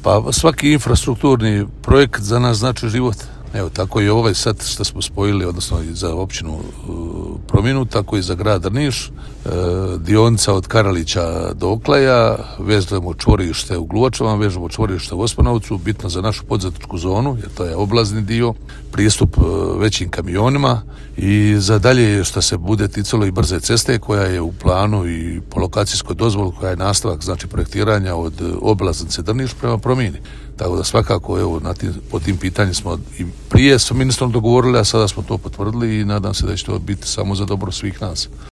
Pa svaki infrastrukturni projekt za nas znači život. Evo, tako i ovaj sad što smo spojili, odnosno i za općinu Prominu, tako i za grad Drniš, dionica od Karalića do Oklaja, vezujemo čvorište u Gluvačama, vežemo čvorište u Ospanovcu, bitno za našu poduzetničku zonu, jer to je oblazni dio, pristup većim kamionima i za dalje što se bude ticalo i brze ceste koja je u planu i po lokacijskoj dozvoli koja je nastavak, znači projektiranja od oblaznice Drniš prema Promini. Tako da svakako evo, po tim pitanjima smo i prije s ministrom dogovorili, a sada smo to potvrdili i nadam se da će to biti samo za dobro svih nas.